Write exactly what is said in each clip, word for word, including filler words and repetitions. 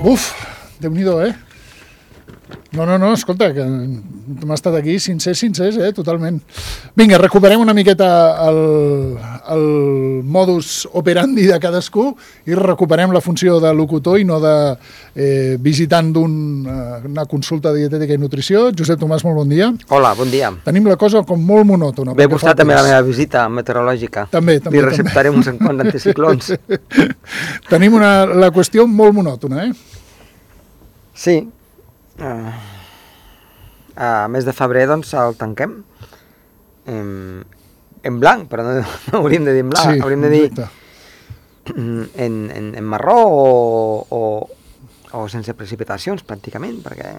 Uf, Déu-n'hi-do, eh? No, no, no, escolta, que hem estat aquí sincers, sincers, eh, totalment. Vinga, recuperem una miqueta el, el modus operandi de cadascú i recuperem la funció de locutor i no de eh, visitant d'una consulta de dietètica i nutrició. Josep Tomàs, molt bon dia. Hola, bon dia. Tenim la cosa com molt monòtona. Ve vostè també la meva visita meteorològica. També, també. Li receptaré uns enconts d'anticiclons. Tenim una, la qüestió molt monòtona, eh? Sí. Uh, a mes de febrer, doncs, el tanquem en, en blanc, però no, no hauríem de dir en blanc, sí, hauríem de dir exacte. en, en, en marró o, o, o sense precipitacions, pràcticament, perquè...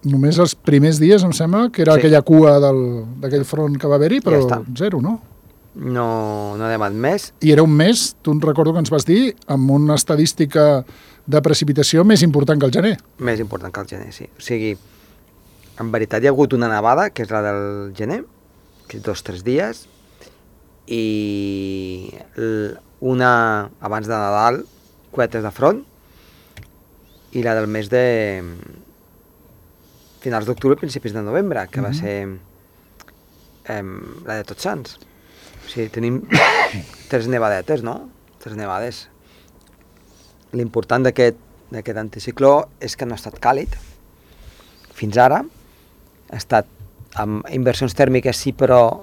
Només els primers dies, em sembla, que era Sí. aquella cua d'aquell front que va haver-hi, però Ja està. zero, no? No, no ha demat més. I era un mes, tu en recordo que ens vas dir, amb una estadística de precipitació més important que el gener. Més important que el gener, sí. O sigui, en veritat hi ha hagut una nevada, que és la del gener, que és dos o tres dies, i l- una abans de Nadal, coetes de front, i la del mes de finals d'octubre, principis de novembre, que va Mhm. ser em, la de Tots Sants. O sigui, tenim tres nevadetes, no? Tres nevades. L'important d'aquest d'aquest anticicló és que no ha estat càlid. Fins ara ha estat amb inversions tèrmiques, sí, però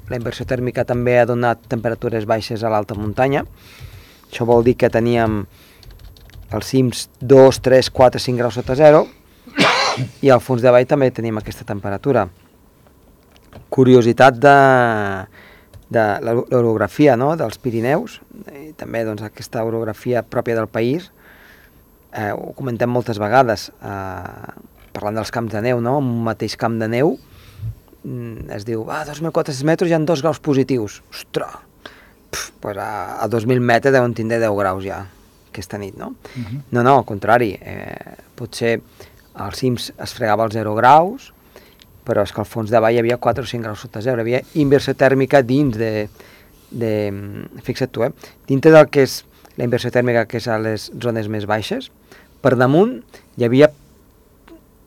la inversió tèrmica també ha donat temperatures baixes a l'alta muntanya. Això vol dir que teníem als cims dos, tres, quatre, cinc graus sota zero i al fons de vall també tenim aquesta temperatura. Curiositat de, de l'orografia, no?, dels Pirineus, i també doncs, aquesta orografia pròpia del país. Eh, ho comentem moltes vegades, eh, parlant dels camps de neu, no? En un mateix camp de neu mm, es diu, ah, dos mil quatre-cents metres hi ha dos graus positius. Ostres! Pff, pues a, a dos mil metres deuen tindre deu graus ja, aquesta nit, no? Uh-huh. No, no, al contrari, eh, potser als cims es fregava els zero graus, però és que al fons de vall hi havia quatre o cinc graus sota zero, hi havia inversió tèrmica dins de, de fixa't tu, eh, dintre del que és la inversió tèrmica, que és a les zones més baixes, per damunt hi havia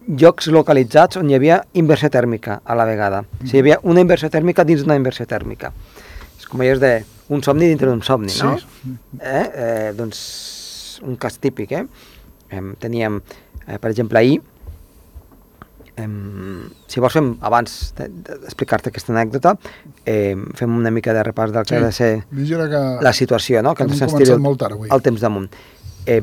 llocs localitzats on hi havia inversió tèrmica a la vegada. O sigui, hi havia una inversió tèrmica dins d'una inversió tèrmica. És com allò de un somni dintre d'un somni, no? Sí. Eh? Eh, doncs un cas típic, eh? eh teníem, eh, per exemple, ahir, eh, si vols fem, abans d'explicar-te aquesta anècdota, eh, fem una mica de repàs del que Sí. ha de ser Vigila que... la situació, no? Que hem ens començat estiri molt tard avui. el temps damunt. Eh,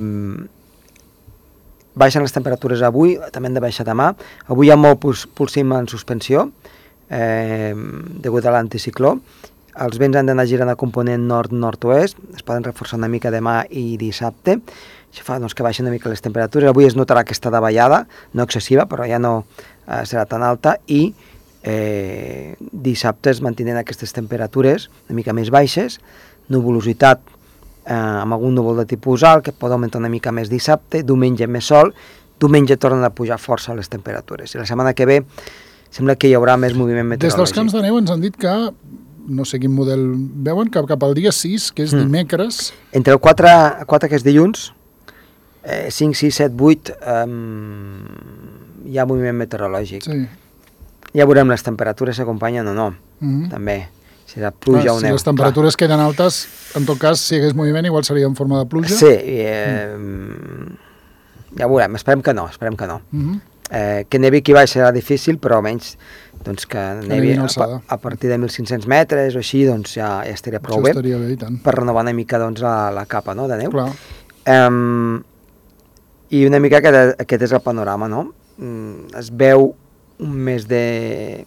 baixen les temperatures avui, també han de baixar demà. Avui hi ha molt puls, pulsim en suspensió, eh, degut a l'anticicló. Els vents han d'anar girant a component nord-nord-oest, es poden reforçar una mica demà i dissabte. Això fa doncs, que baixen una mica les temperatures. Avui es notarà aquesta davallada, no excessiva, però ja no eh, serà tan alta, i eh, dissabte es mantenen aquestes temperatures una mica més baixes, nuvolositat eh, amb algun núvol de tipus alt, que pot augmentar una mica més dissabte, diumenge més sol, diumenge tornen a pujar força les temperatures. I la setmana que ve sembla que hi haurà més moviment Des meteorològic. dels camps de neu ens han dit que, no sé quin model veuen, que cap al dia sis, que és Mm. dimecres... Entre el quatre, quatre que és dilluns, eh, cinc, sis, set, vuit, eh, hi ha moviment meteorològic. Sí. Ja veurem les temperatures s'acompanyen o no, Mm-hmm. també. Si la pluja Ah, o si neu. les temperatures clar. queden altes, en tot cas, si hi hagués moviment, igual seria en forma de pluja. Sí, i, eh, mm. ja veurem, esperem que no, esperem que no. Mm-hmm. Eh, que nevi aquí baix serà difícil, però almenys doncs, que nevi nevi en a, alçada. a partir de mil cinc-cents metres o així, doncs ja, ja estaria prou Això bé, estaria bé, i tant. per renovar una mica doncs, la, la capa, no?, de neu. Clar. Um, I una mica aquest, aquest és el panorama, no? Mm, es veu un mes de,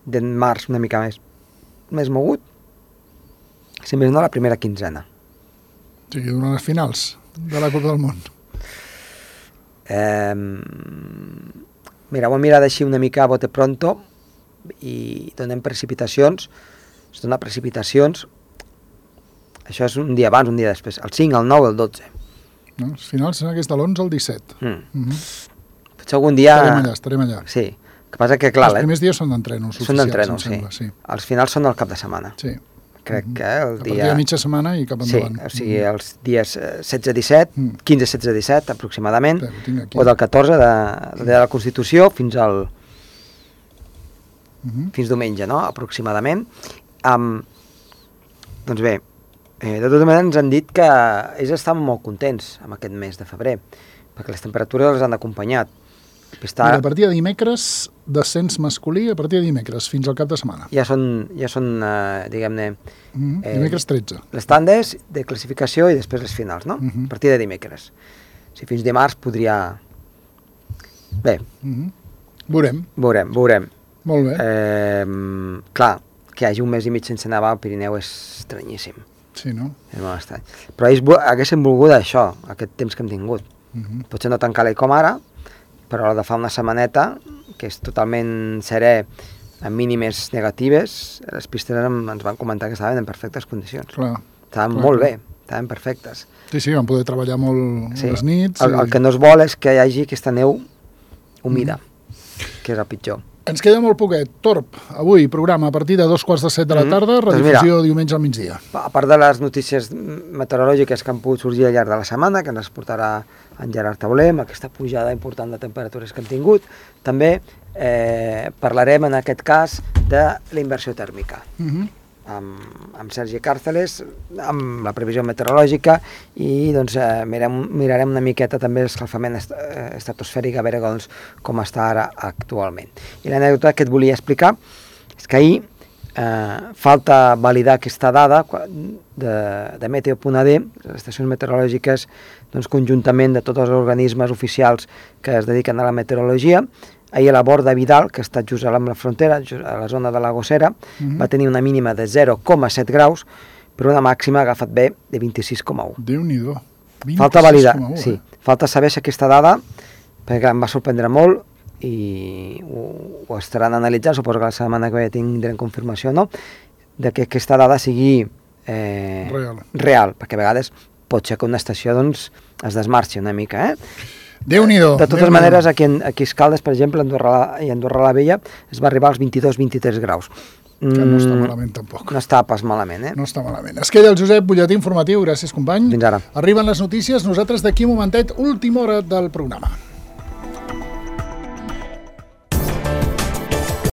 de març una mica més, més mogut, si més no la primera quinzena. O sigui, durant les finals de la Copa del Món. Um, mira, ho hem mirat així una mica a bote pronto i donem precipitacions, es dona precipitacions, això és un dia abans, un dia després, el cinc, el nou, el dotze. No? Els finals són aquests de l'onze al disset. Mm. Mm-hmm. Potser algun dia... Estarem allà, estarem allà. Sí, el que passa que, clar... Els primers dies són d'entrenos són oficials, d'entrenos, em sembla, sí. sí. Els finals són al cap de setmana. Sí. crec que el A partir dia... de mitja setmana i cap Sí, endavant. o sigui, els dies setze disset, quinze setze disset aproximadament, Bé, ho tinc aquí. o del catorze de, de la Constitució fins al... Mhm. fins diumenge, no?, aproximadament. Um, doncs bé, eh, de tota manera ens han dit que ells estaven molt contents amb aquest mes de febrer, perquè les temperatures els han acompanyat. Està... Mira, a partir de dimecres, descens masculí, a partir de dimecres, fins al cap de setmana. Ja són, ja són eh, diguem-ne, Mhm. eh, Dimecres tretze. les tandes de classificació i després les finals, no? Mhm. A partir de dimecres. Si fins dimarts podria... Bé, Mhm. Veurem. veurem, veurem. Molt bé. Eh, clar, que hi hagi un mes i mig sense nevar al Pirineu és estranyíssim. Sí, no? És molt estrany. Però ells vo- haguessin volgut això, aquest temps que hem tingut. Mhm. Potser no tan calent com ara, però de fa una setmaneta, que és totalment serè, amb mínimes negatives, les pistes em- ens van comentar que estaven en perfectes condicions. Clar. Estaven Clar, molt clar. bé, estaven perfectes. Sí, sí, vam poder treballar molt Sí. a les nits. El, i- el que no es vol és que hi hagi aquesta neu humida, que és el pitjor. Ens queda molt poquet. Torb, avui, programa a partir de dos quarts de set de la Mhm. tarda, Doncs redifusió diumenge al migdia. A part de les notícies meteorològiques que han pogut sorgir al llarg de la setmana, que ens portarà en Gerard Tauler, amb aquesta pujada important de temperatures que hem tingut, també eh, parlarem en aquest cas de la inversió tèrmica, Mhm. amb, amb Sergi Càrceles, amb la previsió meteorològica i doncs, eh, mirem, mirarem una miqueta també l'escalfament est eh, estratosfèric, a veure doncs, com està ara actualment. I l'anècdota que et volia explicar és que ahir eh, falta validar aquesta dada de, de Meteo punt a de, les estacions meteorològiques doncs, conjuntament de tots els organismes oficials que es dediquen a la meteorologia. Ahir a la Borda Vidal, que està just a la frontera, just a la zona de la Gossera, Mhm. va tenir una mínima de zero coma set graus, però una màxima, agafat bé, de vint-i-sis coma un. Déu-n'hi-do. Falta validar, vint-i-sis coma u, sí, eh? falta saber si aquesta dada, perquè em va sorprendre molt i ho, ho estaran analitzant, suposo que la setmana que ve tindrem confirmació o no, de que aquesta dada sigui eh, Real. real, perquè a vegades pot ser que una estació doncs, es desmarxi una mica, eh? Déu-n'hi-do. De totes maneres, aquí, en, aquí a Escaldes, per exemple, a Andorra la- i a Andorra la Vella, es va arribar als vint-i-dos vint-i-tres graus. Que no està Mm, malament, tampoc. No està pas malament, eh? No està malament. Es queda el Josep, butlletí informatiu. Gràcies, company. Fins ara. Arriben les notícies. Nosaltres d'aquí un momentet, última hora del programa.